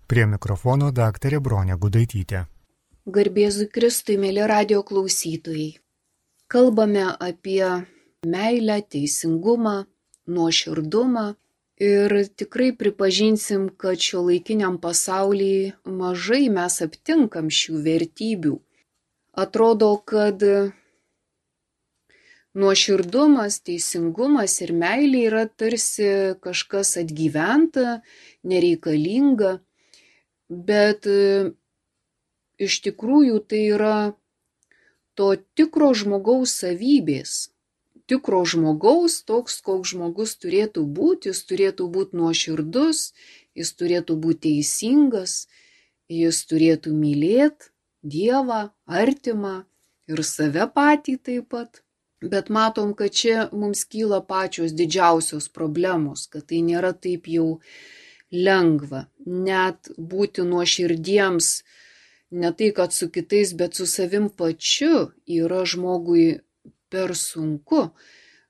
Prie mikrofono daktarė Bronė Gudaitytė. Garbėzui Kristui, mėly radio klausytojai. Kalbame apie meilę, teisingumą, nuoširdumą ir tikrai pripažinsim, kad šiuolaikiniam pasaulyje mažai mes aptinkam šių vertybių. Atrodo, kad nuoširdumas, teisingumas ir meilė yra tarsi kažkas atgyventa, nereikalinga, bet iš tikrųjų tai yra to tikro žmogaus savybės. Tikro žmogaus, toks, koks žmogus turėtų būti, jis turėtų būti nuoširdus, jis turėtų būti teisingas, jis turėtų mylėti Dievą, artimą ir save patį taip pat. Bet matom, kad čia mums kyla pačios didžiausios problemos, kad tai nėra taip jau lengva. Net būti nuoširdiems, ne tai, kad su kitais, bet su savim pačiu yra žmogui per sunku,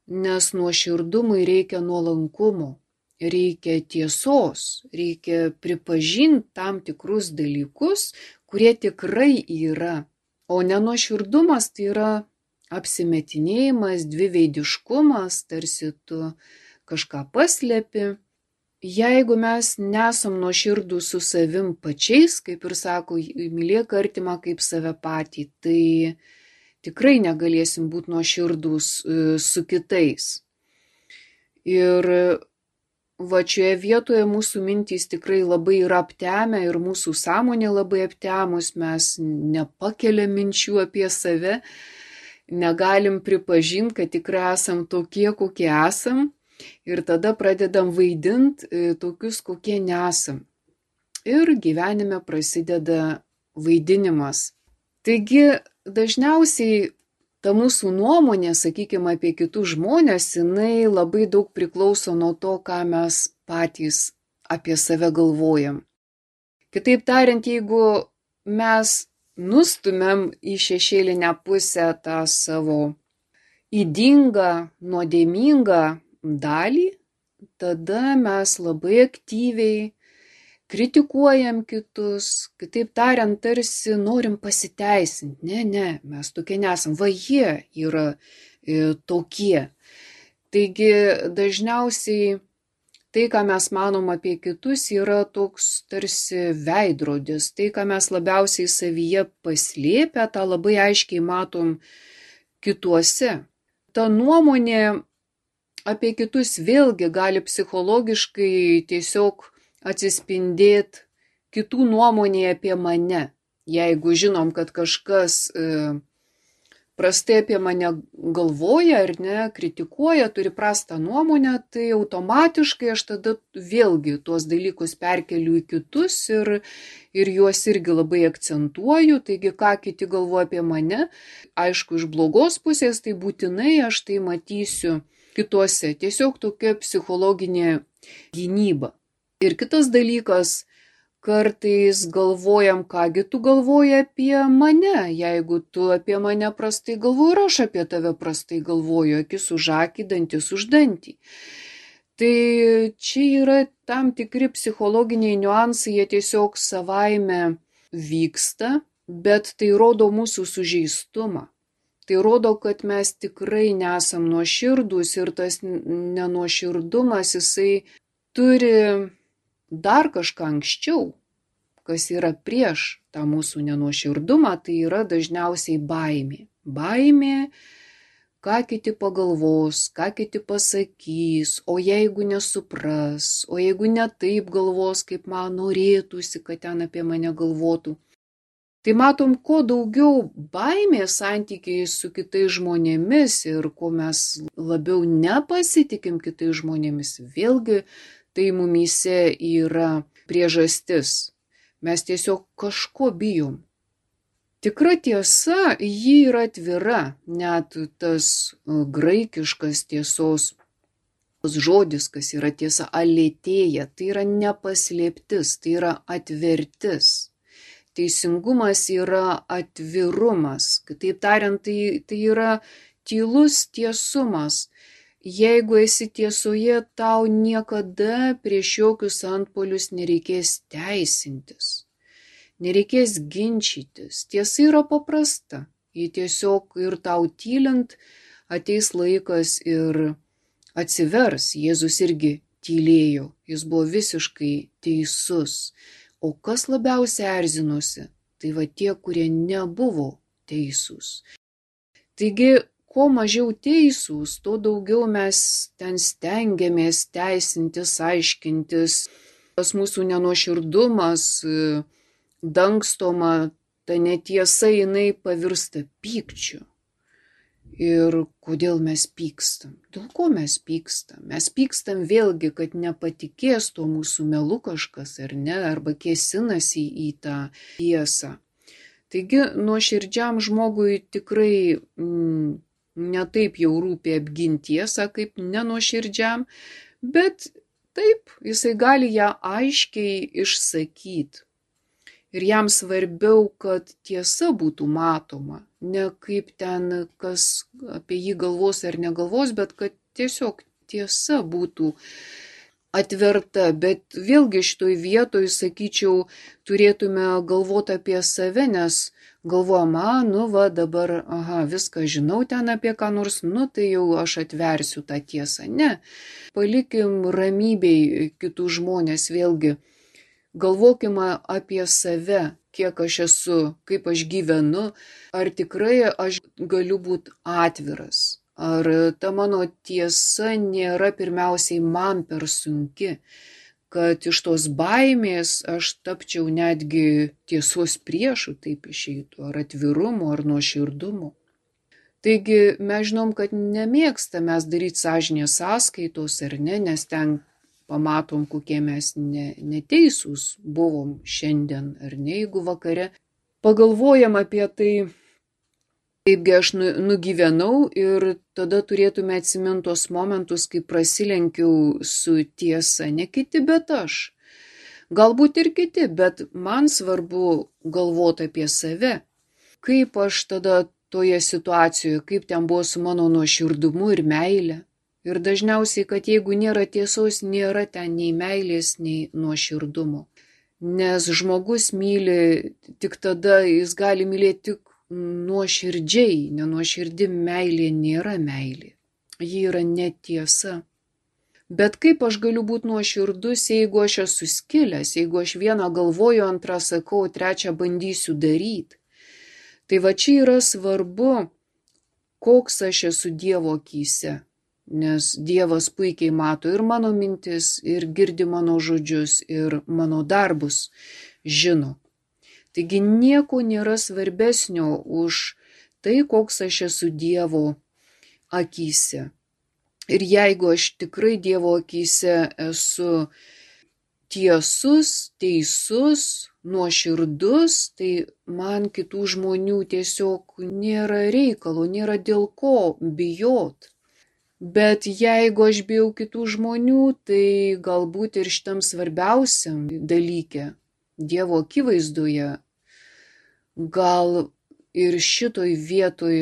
nes nuoširdumui reikia nuolankumo, reikia tiesos, reikia pripažinti tam tikrus dalykus, kurie tikrai yra. O nenuoširdumas tai yra apsimetinėjimas, dviveidiškumas, tarsi tu kažką paslėpi. Jeigu mes nesam nuoširdūs su savim pačiais, kaip ir sako, mylėk artimą kaip save patį, tai tikrai negalėsim būti nuoširdūs su kitais. Ir va šioje vietoje mūsų mintys tikrai labai yra aptemę ir mūsų sąmonė labai aptemus, mes nepakeliam minčių apie save, negalim pripažinti, kad tikrai esam tokie, kokie esam ir tada pradedam vaidinti tokius, kokie nesam. Ir gyvenime prasideda vaidinimas. Taigi dažniausiai ta mūsų nuomonė, sakykime, apie kitus žmonės, jinai labai daug priklauso nuo to, ką mes patys apie save galvojam. Kitaip tariant, jeigu mes nustumėm į šešėlinę pusę tą savo ydingą, nuodėmingą dalį, tada mes labai aktyviai kritikuojam kitus, kitaip tariant, tarsi norim pasiteisinti. Ne, mes tokie nesam, va jie yra tokie. Taigi dažniausiai tai, ką mes manom apie kitus, yra toks tarsi veidrodis. Tai, ką mes labiausiai savyje paslėpę, tą labai aiškiai matom kituose. Ta nuomonė apie kitus vėlgi gali psichologiškai tiesiog atsispindėti kitų nuomonėje apie mane. Jeigu žinom, kad kažkas prastai apie mane galvoja ar ne, kritikuoja, turi prastą nuomonę, tai automatiškai aš tada vėlgi tuos dalykus perkeliu į kitus ir juos irgi labai akcentuoju. Taigi, ką kiti galvoja apie mane, aišku, iš blogos pusės, tai būtinai aš tai matysiu kituose. Tiesiog tokia psichologinė gynyba. Ir kitas dalykas, kartais galvojam, kągi tu galvoji apie mane, jeigu tu apie mane prastai galvoji ir aš apie tave prastai galvoju, akis už akį, dantis už dantį. Tai čia yra tam tikri psichologiniai niuansai, jie tiesiog savaime vyksta, bet tai rodo mūsų sužeistumą. Tai rodo, kad mes tikrai nesam nuoširdūs ir tas nenuoširdumas, jisai turi dar kažką anksčiau, kas yra prieš tą mūsų nenuoširdumą, tai yra dažniausiai baimė. Baimė, ką kiti pagalvos, ką kiti pasakys, o jeigu nesupras, o jeigu ne taip galvos, kaip man norėtųsi, kad ten apie mane galvotų. Tai matom, kuo daugiau baimės santykiai su kitais žmonėmis ir kuo mes labiau nepasitikim kitais žmonėmis, vėlgi tai mumyse yra priežastis. Mes tiesiog kažko bijom. Tikra tiesa, ji yra atvira, net tas graikiškas tiesos žodis, kas yra tiesa, alėtėja, tai yra nepaslėptis, tai yra atvertis. Teisingumas yra atvirumas, kitaip tariant, tai yra tylus tiesumas. jeigu esi tiesoje, tau niekada prieš jokius antpuolius nereikės teisintis, nereikės ginčytis. Tiesa yra paprasta. Ji tiesiog ir tau tylint ateis laikas ir atsivers. Jėzus irgi tylėjo. Jis buvo visiškai teisus. O kas labiausiai erzinosi? Tai va tie, kurie nebuvo teisūs. Taigi, kuo mažiau teisūs, tuo daugiau mes ten stengiamės teisintis, aiškintis. Tas mūsų nenuoširdumas, dangstoma, ta netiesa, jinai pavirsta pykčiu. Ir kodėl mes pykstam? Dėl ko mes pykstam? Mes pykstam vėlgi, kad nepatikės tuo mūsų melu kažkas ar ne, arba kėsinasi į tą tiesą. Taigi nuoširdžiam žmogui tikrai netaip jau rūpi apginti tiesą, kaip nenuoširdžiam, bet taip, jisai gali ją aiškiai išsakyti. Ir jam svarbiau, kad tiesa būtų matoma, ne kaip ten kas apie jį galvos ar negalvos, bet kad tiesiog tiesa būtų atverta. Bet vėlgi šitoj vietoj, sakyčiau, turėtume galvoti apie save, nes galvojam, dabar, viską žinau ten apie ką nors, tai jau aš atversiu tą tiesą. Ne, palikim ramybei kitų žmonės vėlgi. Galvokime apie save, kiek aš esu, kaip aš gyvenu, ar tikrai aš galiu būti atviras, ar ta mano tiesa nėra pirmiausiai man per sunki, kad iš tos baimės aš tapčiau netgi tiesos priešu, taip išeitų, ar atvirumo, ar nuoširdumo. Taigi mes žinom, kad nemėgstam mes daryti sąžinės sąskaitos, ar ne, nes ten pamatom, kokie mes neteisūs buvom šiandien, ar ne, jeigu vakare pagalvojam apie tai, kaipgi aš nugyvenau, ir tada turėtume atsiminti tos momentus, kai prasilenkiau su tiesa, ne kiti, bet aš. Galbūt ir kiti, bet man svarbu galvoti apie save. Kaip aš tada toje situacijoje, kaip ten buvo su mano nuoširdumu ir meile. Ir dažniausiai, kad jeigu nėra tiesos, nėra ten nei meilės, nei nuoširdumo. Nes žmogus myli tik tada, jis gali mylėti tik nuoširdžiai, nenuoširdi meilė nėra meilė. Ji yra netiesa. Bet kaip aš galiu būti nuoširdus, jeigu aš esu skilęs, jeigu aš vieną galvoju, antrą sakau, trečią bandysiu daryti. Tai va čia yra svarbu, koks aš esu Dievo akyse. Nes Dievas puikiai mato ir mano mintis, ir girdi mano žodžius, ir mano darbus žino. Taigi nieko nėra svarbesnio už tai, koks aš esu Dievo akyse. Ir jeigu aš tikrai Dievo akyse esu tiesus, teisus, nuoširdus, tai man kitų žmonių tiesiog nėra reikalo, nėra dėl ko bijot. Bet jeigu aš bijau kitų žmonių, tai galbūt ir šitam svarbiausiam dalyke, Dievo akivaizdoje, gal ir šitoj vietoj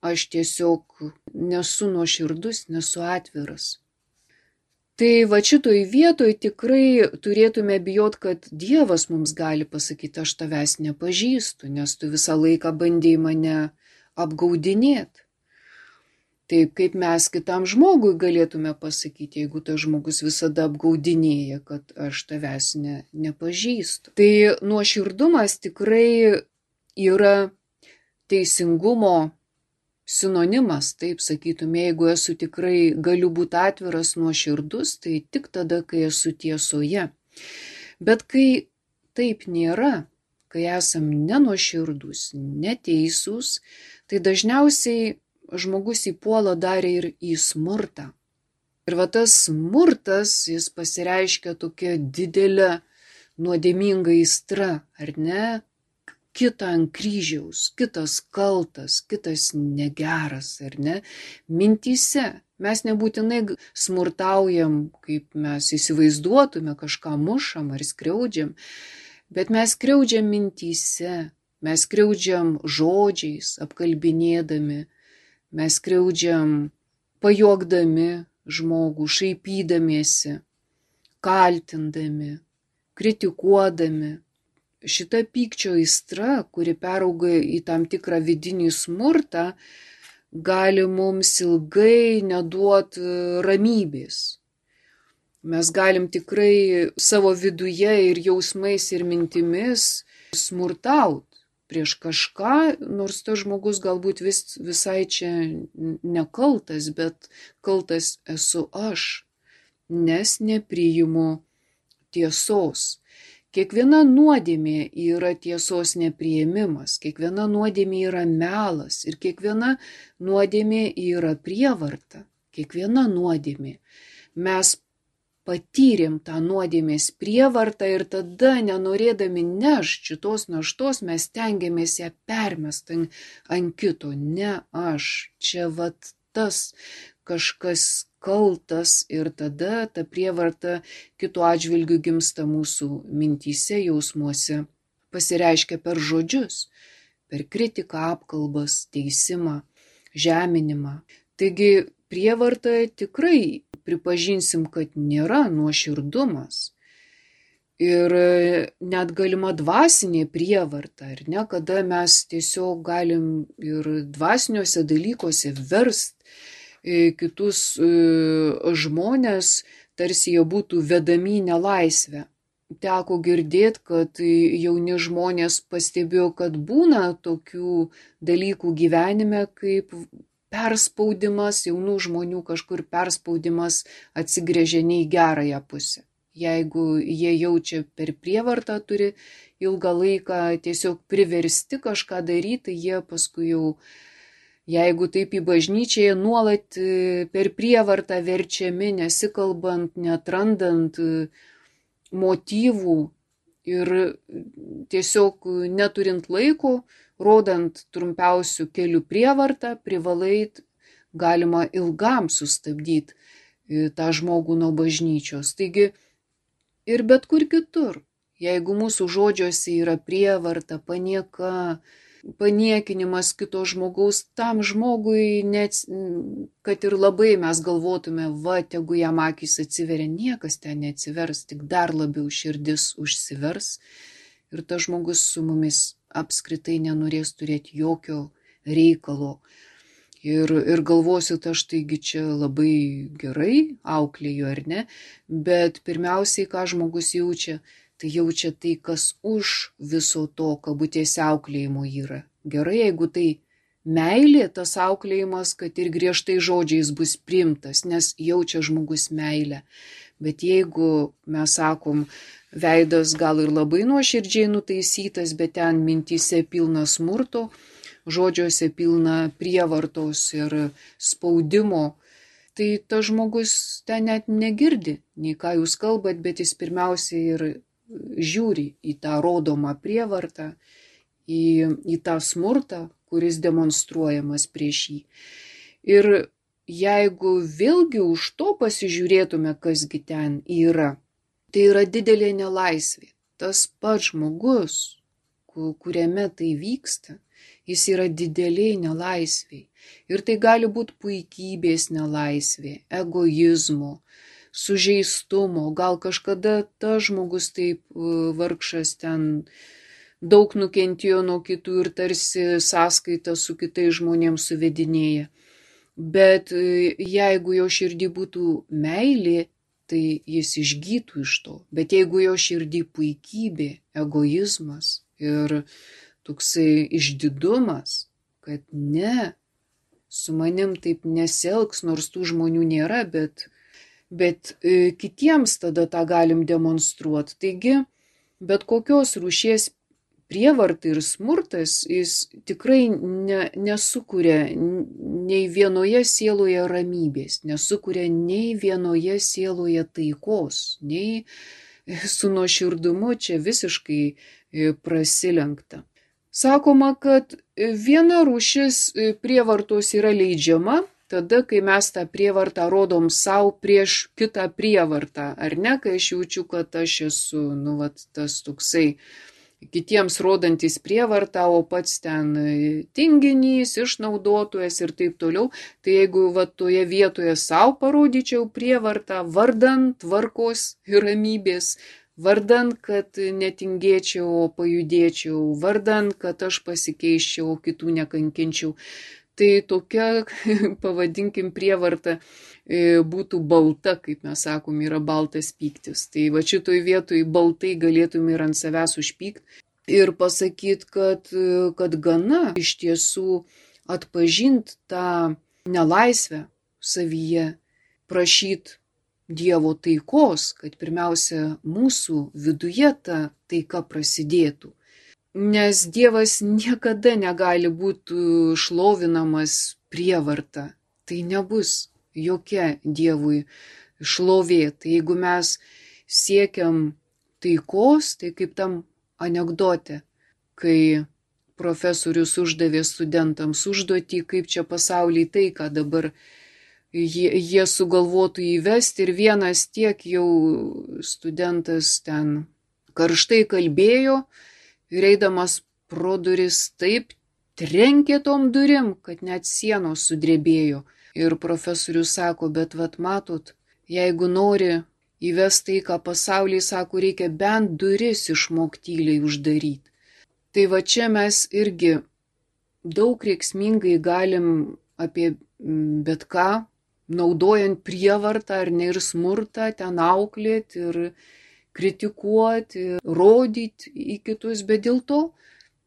aš tiesiog nesu nuoširdus, nesu atviras. Tai va šitoj vietoj tikrai turėtume bijot, kad Dievas mums gali pasakyti, aš tavęs nepažįstu, nes tu visą laiką bandėjai mane apgaudinėti. Taip kaip mes kitam žmogui galėtume pasakyti, jeigu tas žmogus visada apgaudinėja, kad aš tavęs nepažįstu. Tai nuoširdumas tikrai yra teisingumo sinonimas, taip sakytume, jeigu esu tikrai galiu būti atviras, nuoširdus, tai tik tada, kai esu tiesoje. Bet kai taip nėra, kai esam nenuoširdus, neteisūs, tai dažniausiai žmogus įpuola dar ir į smurtą. Ir va tas smurtas, jis pasireiškia tokia didelė nuodėminga aistra, ar ne? Kitą ant kryžiaus, kitas kaltas, kitas negeras, ar ne? Mintyse. Mes nebūtinai smurtaujam, kaip mes įsivaizduotume, kažką mušam ar skriaudžiam, bet mes skriaudžiam mintyse, mes skriaudžiam žodžiais, apkalbinėdami, mes skriaudžiam pajuokdami žmogų, šaipydamiesi, kaltindami, kritikuodami. Šita pykčio aistra, kuri perauga į tam tikrą vidinį smurtą, gali mums ilgai neduoti ramybės. Mes galim tikrai savo viduje ir jausmais ir mintimis smurtauti prieš kažką, nors tas žmogus galbūt visai čia nekaltas, bet kaltas esu aš, nes nepriimu tiesos. Kiekviena nuodėmė yra tiesos nepriėmimas, kiekviena nuodėmė yra melas ir kiekviena nuodėmė yra prievarta. Kiekviena nuodėmė. Mes patyrėm tą nuodėmės prievartą ir tada, nenorėdami nešti šitos naštos, mes stengiamės ją permesti ant kito. Ne aš, čia vat tas kažkas kaltas ir tada ta prievarta kitų atžvilgių gimsta mūsų mintyse, jausmuose, pasireiškia per žodžius, per kritiką, apkalbas, teisimą, žeminimą. Taigi prievarta tikrai pripažinsim, kad nėra nuoširdumas. Ir net galima dvasinė prievarta, ar ne, kada mes tiesiog galim ir dvasiniuose dalykuose verst kitus žmonės, tarsi jie būtų vedami į nelaisvę. Teko girdėti, kad jauni žmonės pastebėjo, kad būna tokių dalykų gyvenime, kaip perspaudimas, jaunų žmonių kažkur perspaudimas atsigręžia ne į gerąją pusę. Jeigu jie jaučia per prievartą, turi ilgą laiką tiesiog priversti kažką daryti, jie paskui jau, jeigu taip į bažnyčią, jie nuolat per prievartą verčiami, nesikalbant, neatrandant motyvų ir tiesiog neturint laiko, rodant trumpiausių kelių prievartą, privalai galima ilgam sustabdyti tą žmogų nuo bažnyčios. Taigi ir bet kur kitur, jeigu mūsų žodžiuose yra prievarta, panieka, paniekinimas kito žmogaus, tam žmogui, net, kad ir labai mes galvotume, va, tegu jam akys atsiveria, niekas ten neatsivers, tik dar labiau širdis užsivers ir tas žmogus su mumis apskritai nenorės turėti jokio reikalo. Ir galvosit, aš taigi čia labai gerai auklėju, ar ne, bet pirmiausiai, ką žmogus jaučia, tai jaučia tai, kas už viso to, kabutėse auklėjimo yra. Gerai, jeigu tai meilė, tas auklėjimas, kad ir griežtai žodžiais bus priimtas, nes jaučia žmogus meilę. Bet jeigu mes sakom, veidas gal ir labai nuoširdžiai nutaisytas, bet ten mintyse pilna smurto, žodžiuose pilna prievartos ir spaudimo, tai tas žmogus ten net negirdi, nei ką jūs kalbat, bet jis pirmiausiai ir žiūri į tą rodomą prievartą, į tą smurtą, kuris demonstruojamas prieš jį. Ir jeigu vėlgi už to pasižiūrėtume, kasgi ten yra, tai yra didelė nelaisvė. Tas pats žmogus, kuriame tai vyksta, jis yra dideliai nelaisviai. Ir tai gali būti puikybės nelaisvė, egoizmo, sužeistumo. Gal kažkada tas žmogus taip vargšas ten daug nukentėjo nuo kitų ir tarsi sąskaitą su kitais žmonėms suvedinėja. Bet jeigu jo širdį būtų meilė, tai jis išgytų iš to. Bet jeigu jo širdį puikybė, egoizmas ir toksai išdidumas, kad ne, su manim taip nesielgs, nors tų žmonių nėra, bet kitiems tada tą galim demonstruoti. Taigi, bet kokios rūšies prievarta ir smurtas, jis tikrai nesukuria nei vienoje sieloje ramybės, nesukuria nei vienoje sieloje taikos, nei su nuoširdumu čia visiškai prasilenkta. Sakoma, kad viena rūšis prievartos yra leidžiama, tada, kai mes tą prievartą rodom savo prieš kitą prievartą, ar ne, kai aš jaučiu, kad aš esu, tas toksai kitiems rodantis prievartą, o pats ten tinginys, išnaudotojas ir taip toliau. Tai jeigu toje vietoje savo parodyčiau prievartą vardan tvarkos ir ramybės, vardan, kad netingėčiau, o pajudėčiau, vardan, kad aš pasikeiščiau, o kitų nekankinčiau, tai tokia, pavadinkim, prievarta būtų balta, kaip mes sakom, yra baltas pyktis. Tai va šitoj vietoj baltai galėtum ir ant savęs užpykti ir pasakyti, kad gana iš tiesų atpažinti tą nelaisvę savyje, prašyti Dievo taikos, kad pirmiausia mūsų viduje ta taika prasidėtų. Nes Dievas niekada negali būti šlovinamas prievarta. Tai nebus jokia Dievui šlovė. Tai jeigu mes siekiam taikos, tai kaip tam anekdote, kai profesorius uždavė studentams užduotį, kaip čia pasaulyje taiką dabar jie sugalvotų įvesti, ir vienas tiek jau studentas ten karštai kalbėjo ir eidamas pro duris taip trenkė tom durim, kad net sienos sudrebėjo. Ir profesorius sako, bet vat matot, jeigu nori įvesti taiką pasaulyje, sako, reikia bent duris išmoktyliai uždaryti. Tai va čia mes irgi daug reiksmingai galim apie bet ką, naudojant prievartą ar ne ir smurtą, ten auklėti ir kritikuoti, rodyti į kitus, bet dėl to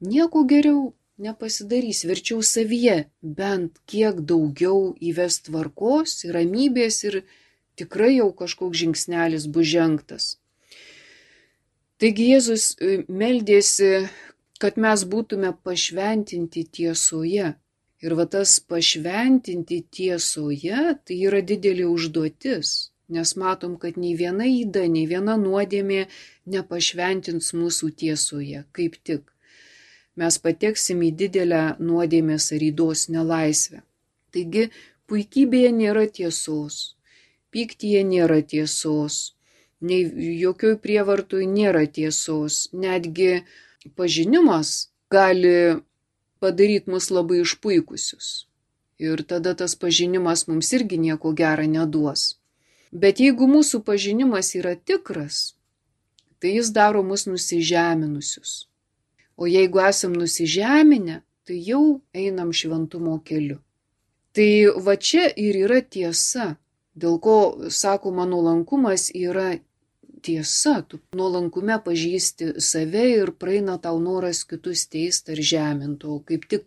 nieko geriau nepasidarys. Verčiau savyje bent kiek daugiau įvest tvarkos ir ramybės ir tikrai jau kažkoks žingsnelis bus žengtas. Taigi Jėzus meldėsi, kad mes būtume pašventinti tiesoje. Ir va tas pašventinti tiesoje, tai yra didelė užduotis, nes matom, kad nei viena yda, nei viena nuodėmė nepašventins mūsų tiesoje, kaip tik. Mes pateksim į didelę nuodėmės ar ydos nelaisvę. Taigi, puikybėje nėra tiesos, pyktyje nėra tiesos, nei jokioj prievartoj nėra tiesos, netgi pažinimas gali padaryti mus labai išpuikusius. Ir tada tas pažinimas mums irgi nieko gero neduos. Bet jeigu mūsų pažinimas yra tikras, tai jis daro mus nusižeminusius. O jeigu esam nusižeminę, tai jau einam šventumo keliu. Tai va čia ir yra tiesa, dėl ko, sakoma, nuolankumas yra tiesa. Tu nuolankume pažįsti save ir praeina tau noras kitus teist ar žemint, o kaip tik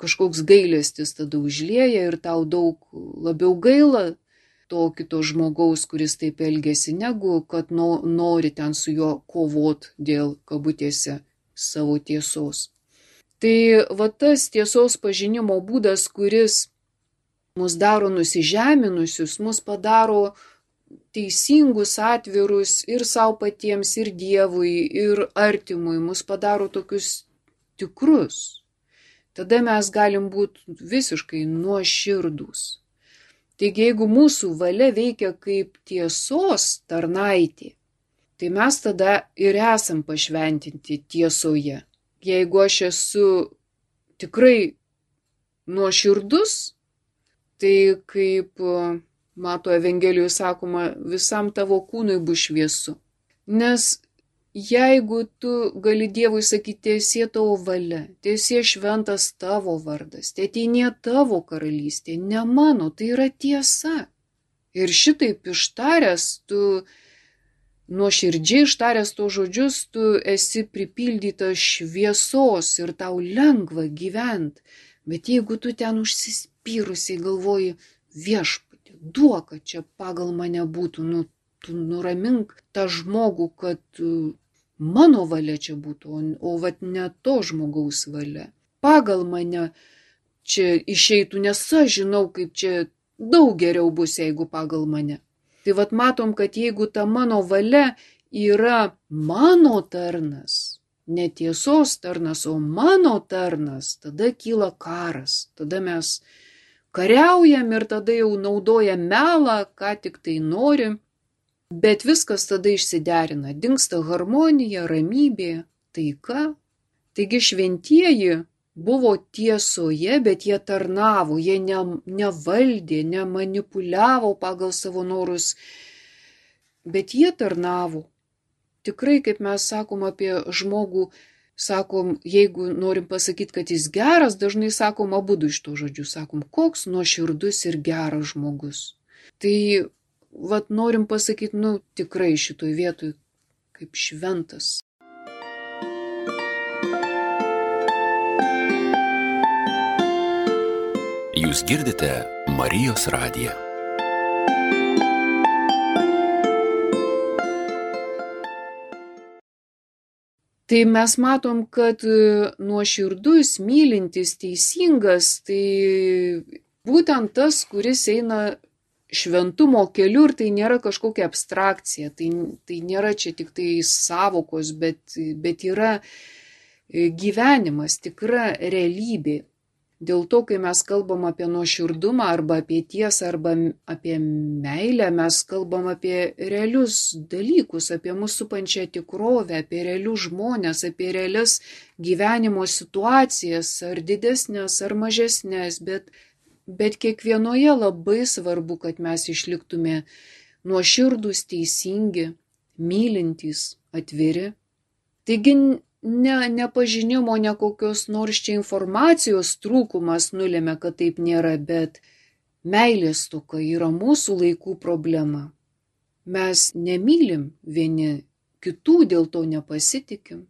kažkoks gailestis tada užlieja ir tau daug labiau gaila to kito žmogaus, kuris taip elgėsi, negu kad nori ten su juo kovot dėl, kabutėse, savo tiesos. Tai va tas tiesos pažinimo būdas, kuris mus daro nusižeminusius, mus padaro teisingus, atvirus ir savo patiems, ir Dievui, ir artimui, mus padaro tokius tikrus. Tada mes galim būti visiškai nuoširdūs. Taigi, jeigu mūsų valia veikia kaip tiesos tarnaitė, tai mes tada ir esam pašventinti tiesoje. Jeigu aš esu tikrai nuoširdus, tai kaip Mato Evangelijoje sakoma, visam tavo kūnui bus šviesu. Nes jeigu tu gali Dievui sakyti, tiesie tavo valia, tiesie šventas tavo vardas, tėteinė tavo karalystė, ne mano, tai yra tiesa. Ir šitaip ištaręs, tu nuoširdžiai ištaręs to žodžius, tu esi pripildytas šviesos ir tau lengva gyventi. Bet jeigu tu ten užsispyrusiai galvoji, viešpatie, duok, kad čia pagal mane būtų, tu nuramink tą žmogų, kad mano valia čia būtų, o vat ne to žmogaus valia. Pagal mane čia išeitų, nes aš žinau, kaip čia daug geriau bus, jeigu pagal mane. Tai vat matom, kad jeigu ta mano valia yra mano tarnas, ne tiesos tarnas, o mano tarnas, tada kyla karas, tada mes kariaujam ir tada jau naudojam melą, ką tik tai norim, bet viskas tada išsiderina, dingsta harmonija, ramybė, taika. Taigi šventieji buvo tiesoje, bet jie tarnavo, jie nevaldė, nemanipuliavo pagal savo norus, bet jie tarnavo. Tikrai, kaip mes sakom apie žmogų, sakom, jeigu norim pasakyti, kad jis geras, dažnai sakom abudu iš to žodžių, sakom, koks nuoširdus ir geras žmogus. Tai, norim pasakyti, tikrai šitoj vietoj kaip šventas. Jūs girdite Marijos radiją. Tai mes matom, kad nuoširdus, mylintis, teisingas, tai būtent tas, kuris eina šventumo keliu ir tai nėra kažkokia abstrakcija, tai nėra čia tik tai sąvokos, bet yra gyvenimas, tikra realybė. Dėl to, kai mes kalbam apie nuoširdumą arba apie tiesą arba apie meilę, mes kalbam apie realius dalykus, apie mūsų supančią tikrovę, apie realius žmonės, apie realias gyvenimo situacijas, ar didesnės, ar mažesnės, bet kiekvienoje labai svarbu, kad mes išliktume nuoširdūs, teisingi, mylintys, atviri. Taigi, ne pažinimo, ne kokios nors čia informacijos trūkumas nulėmė, kad taip nėra, bet meilės stoka yra mūsų laikų problema. Mes nemylim vieni kitų, dėl to nepasitikim,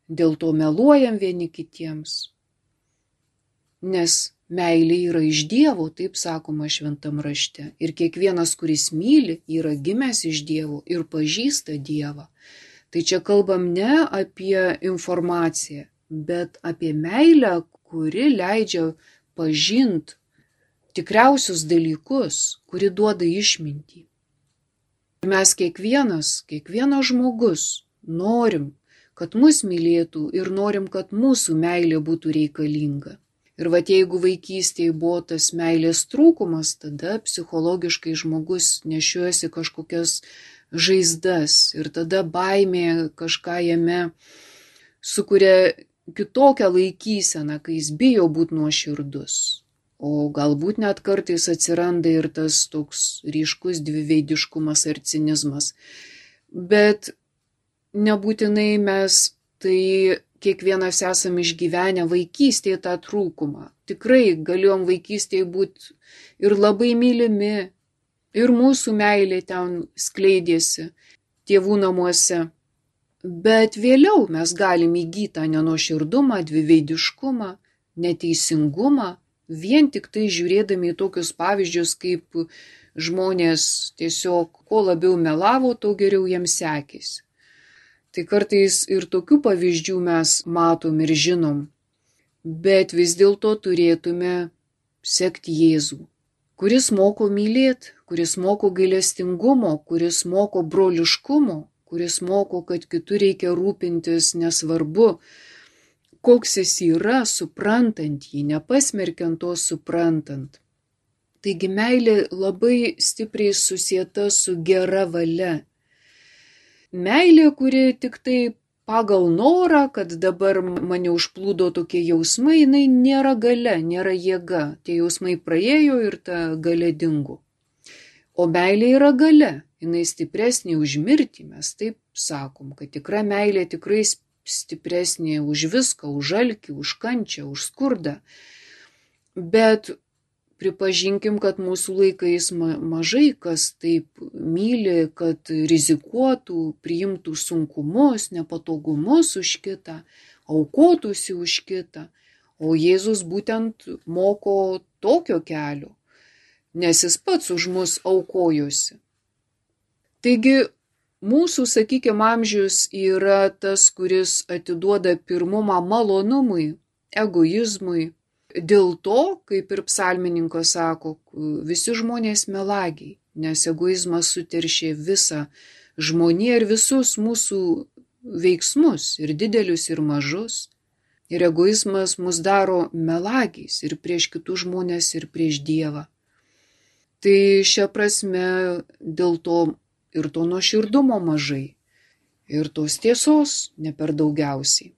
dėl to meluojam vieni kitiems. Nes meilė yra iš Dievo, taip sakoma šventam rašte. Ir kiekvienas, kuris myli, yra gimęs iš Dievo ir pažįsta Dievą. Tai čia kalbam ne apie informaciją, bet apie meilę, kuri leidžia pažinti tikriausius dalykus, kuri duoda išmintį. Mes kiekvienas žmogus norim, kad mus mylėtų ir norim, kad mūsų meilė būtų reikalinga. Ir jeigu vaikystėje buvo tas meilės trūkumas, tada psichologiškai žmogus nešiojasi kažkokias žaizdas ir tada baimė kažką jame sukuria kitokią laikyseną, kai jis bijo būti nuoširdus. O galbūt net kartais atsiranda ir tas toks ryškus dviveidiškumas ar cinizmas. Bet nebūtinai mes tai kiekvienas esam išgyvenę vaikystėje tą trūkumą. Tikrai galėjom vaikystėje būti ir labai mylimi, ir mūsų meilė ten skleidėsi tėvų namuose. Bet vėliau mes galim įgyti tą nenuoširdumą, dviveidiškumą, neteisingumą, vien tik tai žiūrėdami į tokius pavyzdžius, kaip žmonės tiesiog kuo labiau melavo, to geriau jiems sekėsi. Tai kartais ir tokių pavyzdžių mes matom ir žinom, bet vis dėlto turėtume sekti Jėzų, kuris moko mylėti, kuris moko gailestingumo, kuris moko broliškumo, kuris moko, kad kitų reikia rūpintis nesvarbu, koks jis yra, suprantant jį, nepasmerkiant to suprantant. Taigi meilė labai stipriai susieta su gera valia. Meilė, kuri tik tai pagal norą, kad dabar mane užplūdo tokie jausmai, jinai nėra galia, nėra jėga. Tie jausmai praėjo ir ta galia dingo. O meilė yra galia, jinai stipresnė už mirtį, mes taip sakom, kad tikra meilė tikrai stipresnė už viską, už alkį, už kančią, už skurdą. Bet pripažinkim, kad mūsų laikais mažai kas taip myli, kad rizikuotų, priimtų sunkumus, nepatogumus už kitą, aukotųsi už kitą. O Jėzus būtent moko tokio kelio, nes jis pats už mus aukojosi. Taigi, mūsų, sakykime, amžius yra tas, kuris atiduoda pirmumą malonumui, egoizmui. Dėl to, kaip ir psalmininkas sako, visi žmonės melagiai, nes egoizmas suteršė visą žmoniją ir visus mūsų veiksmus, ir didelius, ir mažus. Ir egoizmas mus daro melagiais ir prieš kitus žmonės, ir prieš Dievą. Tai šia prasme dėl to ir to nuoširdumo mažai. ir tos tiesos ne per daugiausiai.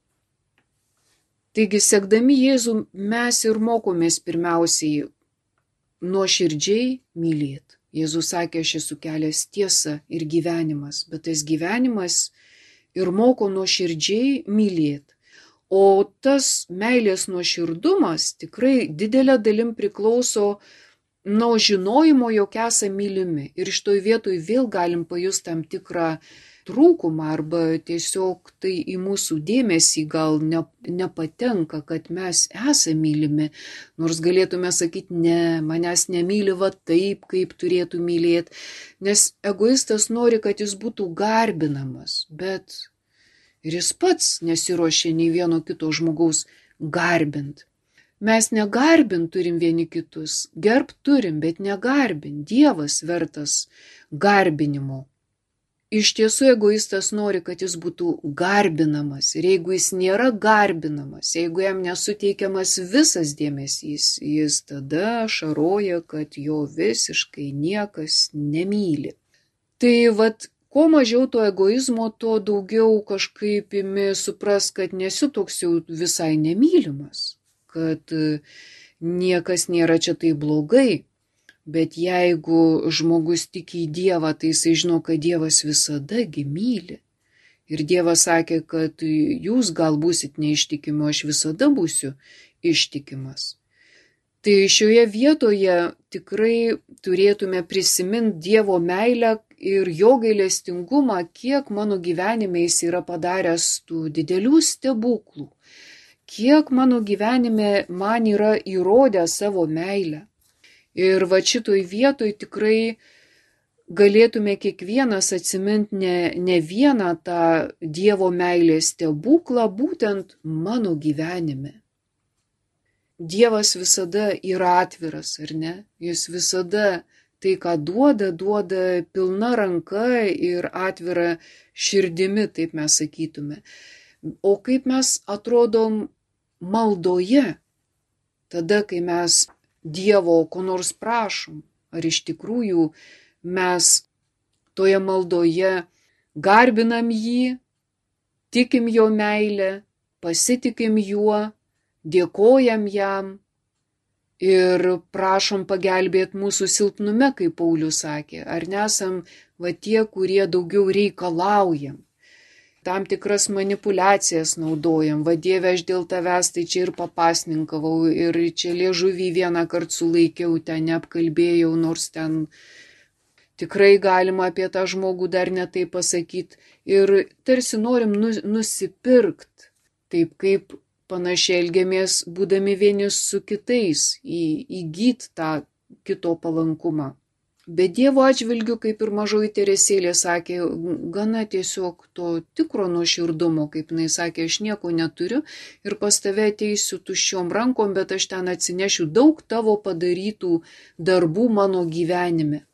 Taigi, sekdami Jėzų, mes ir mokomės pirmiausiai nuoširdžiai mylėti. Jėzus sakė, aš esu kelias, tiesa ir gyvenimas, bet tas gyvenimas ir moko nuoširdžiai mylėti. O tas meilės nuoširdumas tikrai didelė dalim priklauso nuo žinojimo, jog esame mylimi. Ir iš toj vietoj vėl galim pajusti tam tikrą trūkumą arba tiesiog tai į mūsų dėmesį gal nepatenka, kad mes esame mylimi. Nors galėtume sakyti, ne, manęs nemyli va taip, kaip turėtų mylėti. Nes egoistas nori, kad jis būtų garbinamas, bet ir jis pats nesiruošia nei vieno kito žmogaus garbint. Mes negarbint turim vieni kitus, gerbt turim, bet negarbint. Dievas vertas garbinimo. Iš tiesų egoistas nori, kad jis būtų garbinamas. Ir jeigu jis nėra garbinamas, jeigu jam nesuteikiamas visas dėmesys, jis tada šaroja, kad jo visiškai niekas nemyli. Tai vat, kuo mažiau to egoizmo, tuo daugiau kažkaip imi supras, kad nesi toks jau visai nemylimas, kad niekas nėra čia tai blogai. Bet jeigu žmogus tiki į Dievą, tai jisai žino, kad Dievas visadagi myli. Ir Dievas sakė, kad jūs gal būsit neištikimi, o aš visada būsiu ištikimas. Tai šioje vietoje tikrai turėtume prisiminti Dievo meilę ir jo gailestingumą, kiek mano gyvenime jis yra padaręs tų didelių stebuklų, kiek mano gyvenime man yra įrodęs savo meilę. Ir va šitoj vietoj tikrai galėtume kiekvienas atsiminti ne vieną tą Dievo meilės stebuklą būtent mano gyvenime. Dievas visada yra atviras, ar ne? Jis visada tai, ką duoda pilna ranka ir atvira širdimi, taip mes sakytume. O kaip mes atrodom maldoje, tada, kai mes Dievo ko nors prašom, ar iš tikrųjų mes toje maldoje garbinam jį, tikim jo meilę, pasitikim juo, dėkojam jam ir prašom pagelbėti mūsų silpnume, kaip Paulius sakė, ar nesam va tie, kurie daugiau reikalaujam. Tam tikras manipulacijas naudojam, va Dieve, aš dėl tavęs tai čia ir papasninkavau, ir čia liežuvį vieną kartą sulaikiau, ten neapkalbėjau, nors ten tikrai galima apie tą žmogų dar netai pasakyti. Ir tarsi norim nusipirkt, taip kaip panašiai elgiamės, būdami vieni su kitais, įgyt tą kito palankumą. Bet Dievo atžvilgiu, kaip ir mažoji Teresėlė sakė, gana tiesiog to tikro nuoširdumo, kaip jinai sakė, aš nieko neturiu ir pas tave ateisiu tuščiom rankom, bet aš ten atsinešiu daug tavo padarytų darbų mano gyvenime.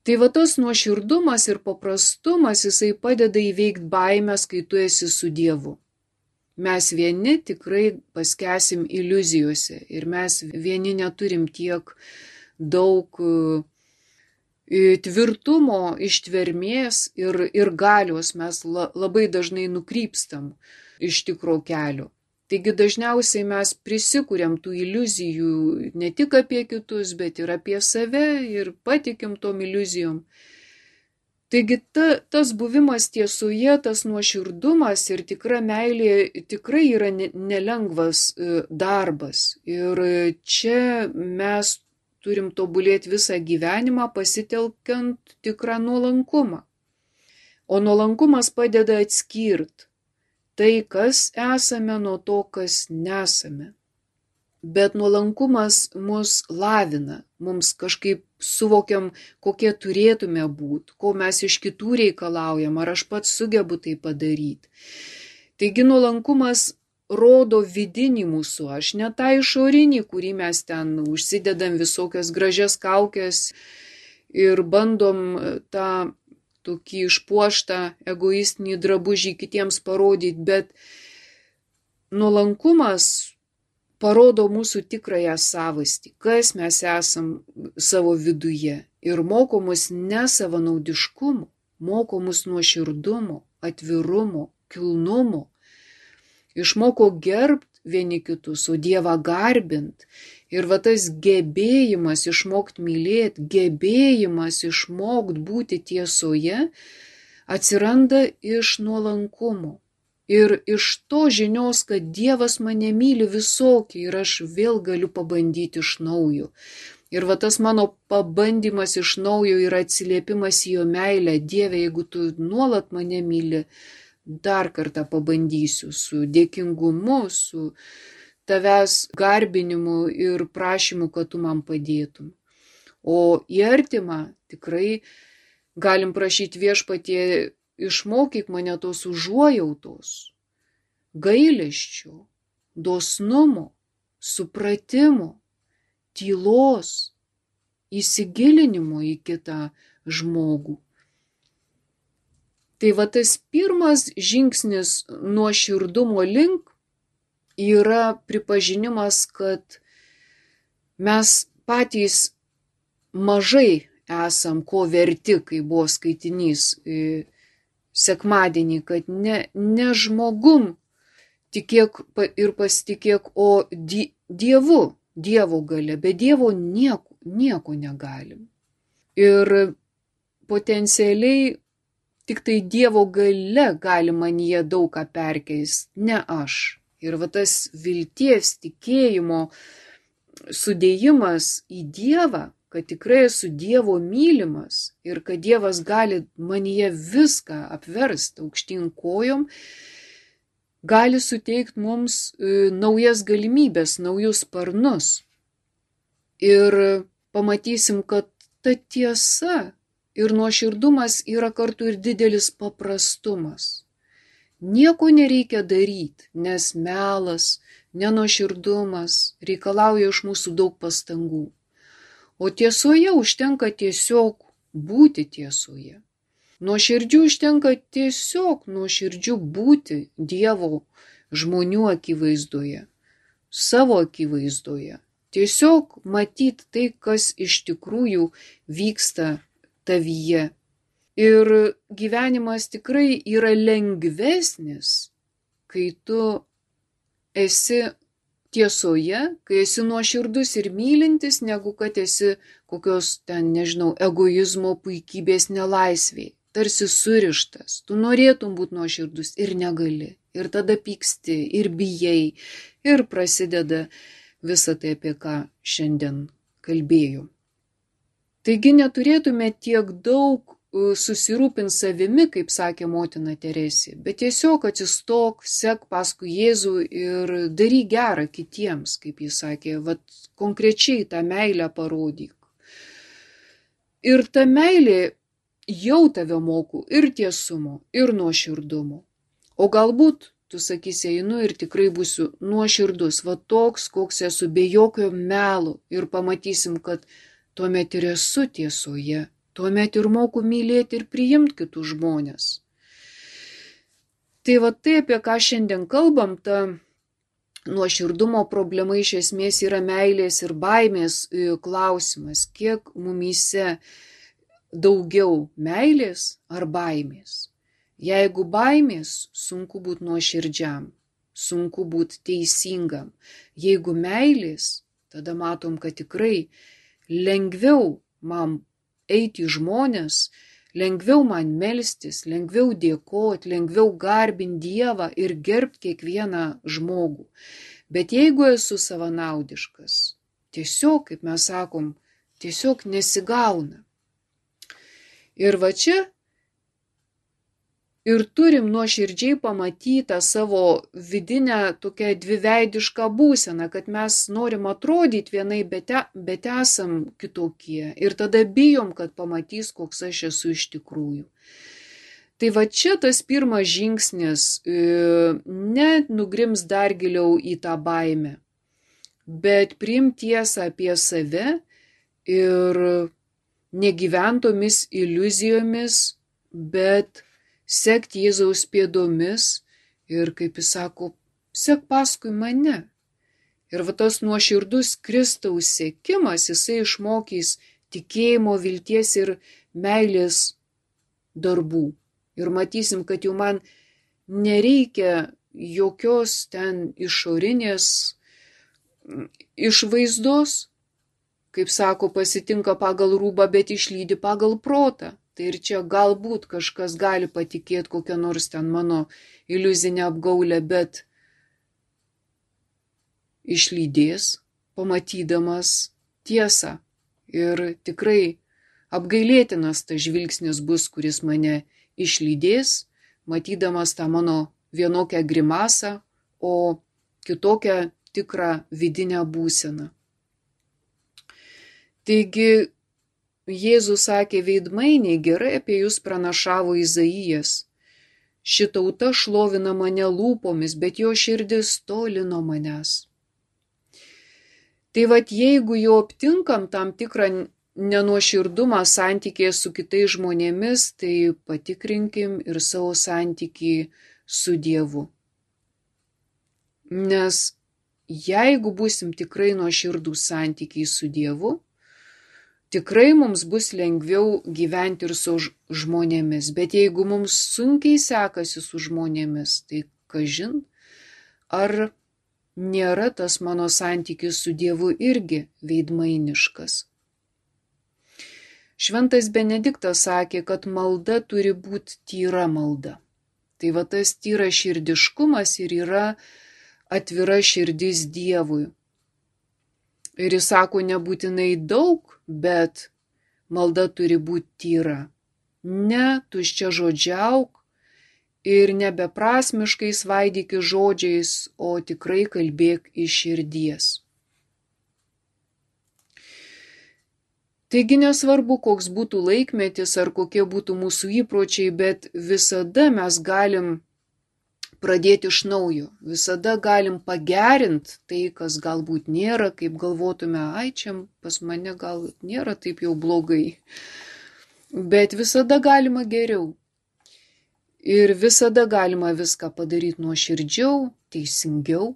Tai va tas nuoširdumas ir paprastumas, jisai padeda įveikti baimės, kai tu esi su Dievu. Mes vieni tikrai paskesim iliuzijose ir mes vieni neturim tiek daug tvirtumo, ištvermės ir galios, mes labai dažnai nukrypstam iš tikro kelio. Taigi dažniausiai mes prisikuriam tų iliuzijų ne tik apie kitus, bet ir apie save ir patikim tom iliuzijom. Taigi tas buvimas tiesoje, tas nuoširdumas ir tikra meilė tikrai yra nelengvas darbas. Ir čia mes turim tobulėti visą gyvenimą pasitelkiant tikrą nuolankumą. O nuolankumas padeda atskirti tai, kas esame, nuo to, kas nesame. Bet nuolankumas mus lavina, mums kažkaip suvokiam, kokie turėtume būti, ko mes iš kitų reikalaujam, ar aš pats sugebu tai padaryti. Taigi nuolankumas rodo vidinį mūsų aš, ne tą išorinį, kurį mes ten užsidedam visokias gražias kaukės ir bandom tą tokį išpuoštą egoistinį drabužį kitiems parodyti, bet nuolankumas parodo mūsų tikrąją savastį, kas mes esam savo viduje ir moko mus ne savanaudiškumo, moko mus nuoširdumo, atvirumo, kilnumo. Išmoko gerbt vieni kitus, o Dievą garbint. Ir va tas gebėjimas išmokt mylėti, gebėjimas išmokt būti tiesoje atsiranda iš nuolankumo. Ir iš to žinios, kad Dievas mane myli visokį ir aš vėl galiu pabandyti iš naujo. Ir va tas mano pabandymas iš naujo yra atsiliepimas į jo meilę. Dieve, jeigu tu nuolat mane myli, dar kartą pabandysiu su dėkingumu, su tavęs garbinimu ir prašymu, kad tu man padėtum. O į artimą tikrai galim prašyti Viešpatie, išmokyk mane tos užuojautos, gailesčio, dosnumo, supratimo, tylos, įsigilinimo į kitą žmogų. Tai va tas pirmas žingsnis nuoširdumo link yra pripažinimas, kad mes patys mažai esam ko verti, kai buvo skaitinys sekmadienį, kad ne žmogum tikėk ir pasitikėk, o Dievu, Dievo galia, be Dievo nieko negalim. Ir potencialiai tik tai Dievo galia gali manyje daug ką perkeist, ne aš. Ir va tas vilties, tikėjimo sudėjimas į Dievą, kad tikrai esu Dievo mylimas ir kad Dievas gali manyje viską apversti aukštyn kojom, gali suteikti mums naujas galimybės, naujus sparnus. Ir pamatysim, kad ta tiesa ir nuoširdumas yra kartu ir didelis paprastumas. Nieko nereikia daryti, nes melas, nenuoširdumas reikalauja iš mūsų daug pastangų. O tiesoje užtenka tiesiog būti tiesoje. Nuoširdžių užtenka tiesiog nuoširdžių būti Dievo žmonių akivaizdoje, savo akivaizdoje. Tiesiog matyti tai, kas iš tikrųjų vyksta tavyje. Ir gyvenimas tikrai yra lengvesnis, kai tu esi tiesoje, kai esi nuoširdus ir mylintis, negu kad esi kokios egoizmo, puikybės nelaisvėj. Tarsi surištas. Tu norėtum būti nuoširdus ir negali. Ir tada pyksti, ir bijai, ir prasideda visa tai, apie ką šiandien kalbėjau. Taigi neturėtume tiek daug susirūpinti savimi, kaip sakė motina Teresė, bet tiesiog atsistok, sek paskui Jėzų ir daryk gerą kitiems, kaip jis sakė, konkrečiai tą meilę parodyk. Ir ta meilė jau tave moko ir tiesumo, ir nuoširdumo. O galbūt tu sakysi, einu ir tikrai būsiu nuoširdus, toks, koks esu, be jokio melo, ir pamatysim, kad tuomet ir esu tiesoje. Tuomet ir moku mylėti ir priimti kitus žmonės. Tai tai, apie ką šiandien kalbam, ta nuoširdumo problema iš esmės yra meilės ir baimės klausimas. Kiek mumyse daugiau meilės ar baimės? Jeigu baimės, sunku būti nuoširdžiam, sunku būti teisingam. Jeigu meilės, tada matom, kad tikrai lengviau man eiti į žmonės, lengviau man melstis, lengviau dėkoti, lengviau garbinti Dievą ir gerbti kiekvieną žmogų. Bet jeigu esu savanaudiškas, tiesiog, kaip mes sakom, tiesiog nesigauna. Ir čia ir turim nuoširdžiai pamatyti savo vidinę tokią dviveidišką būseną, kad mes norim atrodyti vienai, bet esam kitokie. Ir tada bijom, kad pamatys, koks aš esu iš tikrųjų. Tai čia tas pirmas žingsnis, ne nugrims dar giliau į tą baimę, bet priimti tiesą apie save ir negyventomis iliuzijomis, bet sekti Jėzaus pėdomis ir, kaip jis sako, sek paskui mane. Ir tas nuoširdus Kristaus sekimas, jisai išmokys tikėjimo, vilties ir meilės darbų. Ir matysim, kad jau man nereikia jokios ten išorinės išvaizdos, kaip sako, pasitinka pagal rūbą, bet išlydi pagal protą. Tai ir čia galbūt kažkas gali patikėti kokią nors ten mano iliuzinę apgaulę, bet išlydės, pamatydamas tiesą. Ir tikrai apgailėtinas tas žvilgsnis bus, kuris mane išlydės, matydamas tą mano vienokią grimasą, o kitokią tikrą vidinę būseną. Taigi, Jėzus sakė, veidmainiai, gerai apie jūs pranašavo Izaijas. Ši tauta šlovina mane lūpomis, bet jo širdis toli nuo manęs. Tai vat jeigu jau aptinkam tam tikrą nenuoširdumą santykėje su kitais žmonėmis, tai patikrinkim ir savo santykį su Dievu. Nes jeigu būsim tikrai nuoširdūs santykiai su Dievu, tikrai mums bus lengviau gyventi ir su žmonėmis. Bet jeigu mums sunkiai sekasi su žmonėmis, tai kažin, ar nėra tas mano santykis su Dievu irgi veidmainiškas. Šventas Benediktas sakė, kad malda turi būti tyra malda. Tai va tas tyras širdiškumas ir yra atvira širdis Dievui. Ir jis sako, nebūtinai daug, bet malda turi būti tyra. Ne tuščia žodžiauk ir nebeprasmiškai svaidyki žodžiais, o tikrai kalbėk iš širdies. Taigi nesvarbu, koks būtų laikmetis ar kokie būtų mūsų įpročiai, bet visada mes galim pradėti iš naujo. Visada galim pagerinti tai, kas galbūt nėra, kaip galvotume, ai, čia pas mane gal nėra taip jau blogai. Bet visada galima geriau. Ir visada galima viską padaryti nuoširdžiau, teisingiau.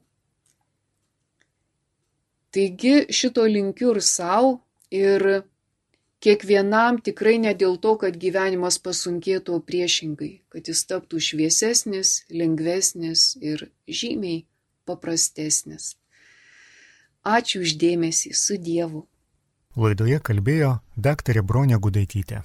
Taigi šito linkiu ir savo, ir kiekvienam tikrai ne dėl to, kad gyvenimas pasunkėtų, o priešingai, kad jis taptų šviesesnis, lengvesnis ir žymiai paprastesnis. Ačiū už dėmesį, su Dievu. Laidoje kalbėjo daktarė Bronė Gudaitytė.